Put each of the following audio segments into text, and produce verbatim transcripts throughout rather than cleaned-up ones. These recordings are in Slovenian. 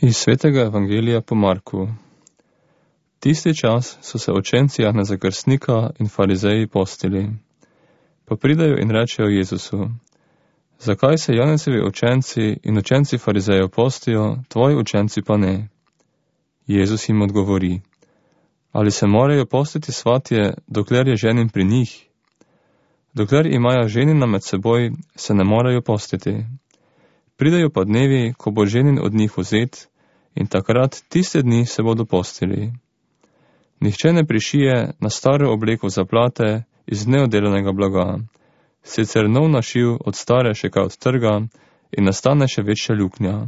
Iz svetega evangelija po Marku. Tisti čas so se učenci Janeza Krstnika in farizeji postili. Pa pridejo in rečejo Jezusu: zakaj se Janezovi učenci in učenci farizejev postijo, tvoji učenci pa ne? Jezus jim odgovori: ali se morajo postiti svatje, dokler je ženin pri njih? Dokler imajo ženina med seboj, se ne morajo postiti. Pridejo pa dnevi, ko bo ženin od njih vzet, in takrat tiste dni se bodo postili. Nihče ne prišije na staro obleko zaplate iz neodelanega blaga, sicer nov našiv od stare še kaj od trga in nastane še večja luknja.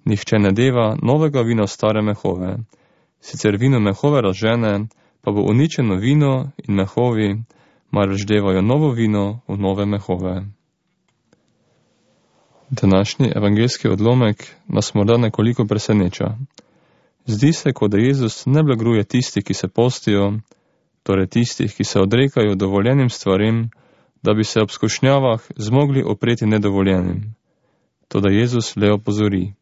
Nihče ne deva novega vina v stare mehove, sicer vino mehove razžene, pa bo uničeno vino in mehovi, marveč devajo novo vino v nove mehove. Današnji evangeljski odlomek nas morda nekoliko preseneča. Zdi se, kot da Jezus ne blagruje tisti, ki se postijo, torej tistih, ki se odrekajo dovoljenim stvarem, da bi se ob skušnjavah zmogli opreti nedovoljenim. Toda Jezus le opozori: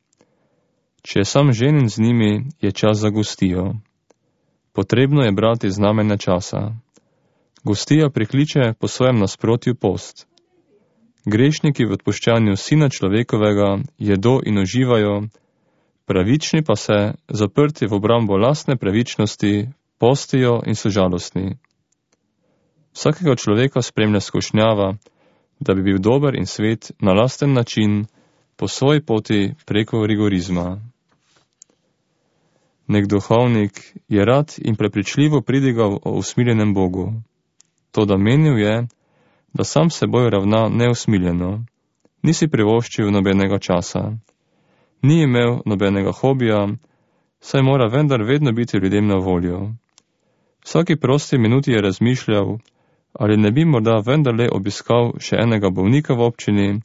če je sam ženin z njimi, je čas za gostijo. Potrebno je brati znamenja časa. Gostija prikliče po svojem nasprotju post. Grešniki v odpuščanju Sina človekovega jedo in uživajo, pravični pa se, zaprti v obrambo lastne pravičnosti, postijo in so žalostni. Vsakega človeka spremlja skušnjava, da bi bil dober in svet na lasten način, po svoji poti preko rigorizma. Nek duhovnik je rad in prepričljivo pridigal o usmiljenem Bogu. Toda menil je, da sam seboj ravna neusmiljeno, ni si privoščil nobenega časa, ni imel nobenega hobija, saj mora vendar vedno biti ljudem na voljo. Vsaki prosti minuti je razmišljal, ali ne bi morda vendarle obiskal še enega bolnika v občini,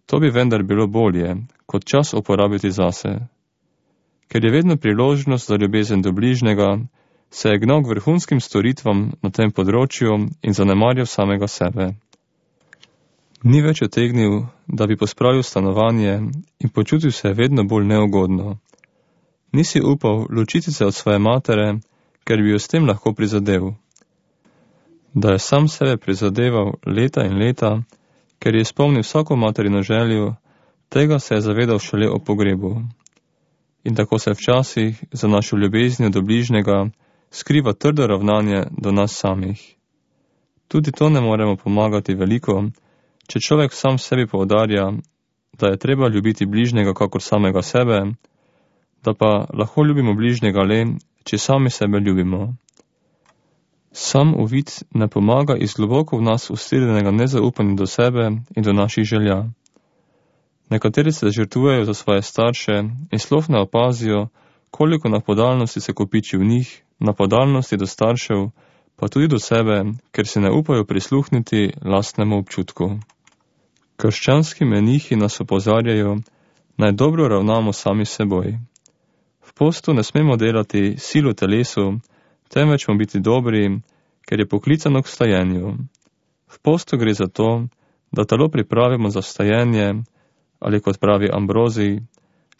to bi vendar bilo bolje, kot čas uporabiti zase. Ker je vedno priložnost za ljubezen do bližnjega, se je gnal k vrhunskim storitvam na tem področju in zanemarjal samega sebe. Ni več otegnil, da bi pospravil stanovanje in počutil se vedno bolj neugodno. Nisi upal ločiti se od svoje matere, ker bi jo s tem lahko prizadel. Da je sam sebe prizadeval leta in leta, ker je izpolnil vsako materino željo, tega se je zavedal šele o pogrebu. In tako se včasih za našo ljubeznjo do bližnjega skriva trdo ravnanje do nas samih. Tudi to ne moremo pomagati veliko, če človek sam sebi poudarja, da je treba ljubiti bližnjega kakor samega sebe, da pa lahko ljubimo bližnjega le, če sami sebe ljubimo. Sam uvid ne pomaga iz globoko v nas ustirjenega nezaupanja do sebe in do naših želja. Nekateri se žrtvujejo za svoje starše in sploh ne opazijo, koliko napadalnosti se kopiči v njih, napadalnosti do staršev, pa tudi do sebe, ker se ne upajo prisluhniti lastnemu občutku. Krščanski menihi nas opozarjajo, naj dobro ravnamo sami seboj. V postu ne smemo delati sil v telesu, temveč smo biti dobri, ker je poklicano k vstajenju. V postu gre za to, da telo pripravimo za vstajenje, ali kot pravi Ambrozij,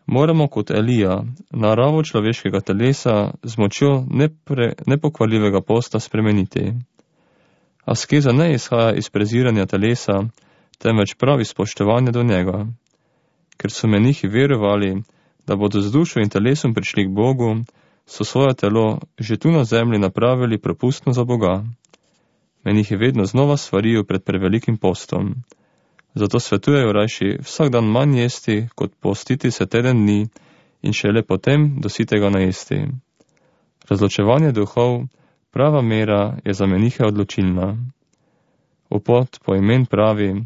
moramo kot Elija naravo človeškega telesa z močjo nepre, nepokvarljivega posta spremeniti. Askeza ne izhaja iz preziranja telesa, temveč pravi spoštovanje do njega. Ker so menihi verovali, da bodo z dušo in telesom prišli k Bogu, so svoje telo že tu na zemlji napravili propustno za Boga. Menihi vedno znova svarijo pred prevelikim postom. Zato svetujejo rajši vsak dan manj jesti, kot postiti se teden dni in šele potem do sitega najesti. Razločevanje duhov, prava mera je za menihe odločilna. Opot po imen pravi: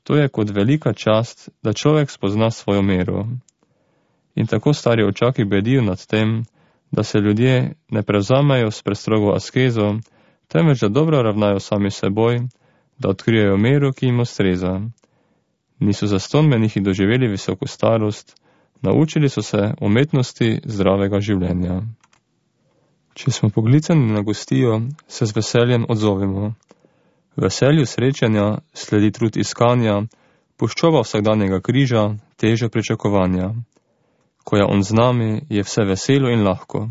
to je kot velika čast, da človek spozna svojo mero. In tako stari očaki bedijo nad tem, da se ljudje ne prevzamejo s prestrogo askezo, temveč da dobro ravnajo sami seboj, da odkrijejo mero, ki jim ustreza. Niso zastonj menihi doživeli visoko starost, naučili so se umetnosti zdravega življenja. Če smo poklicani na gostijo, se z veseljem odzovemo. Veselju srečanja sledi trud iskanja, puščova vsakdanjega križa, teža pričakovanja. Ko je on z nami, je vse veselo in lahko.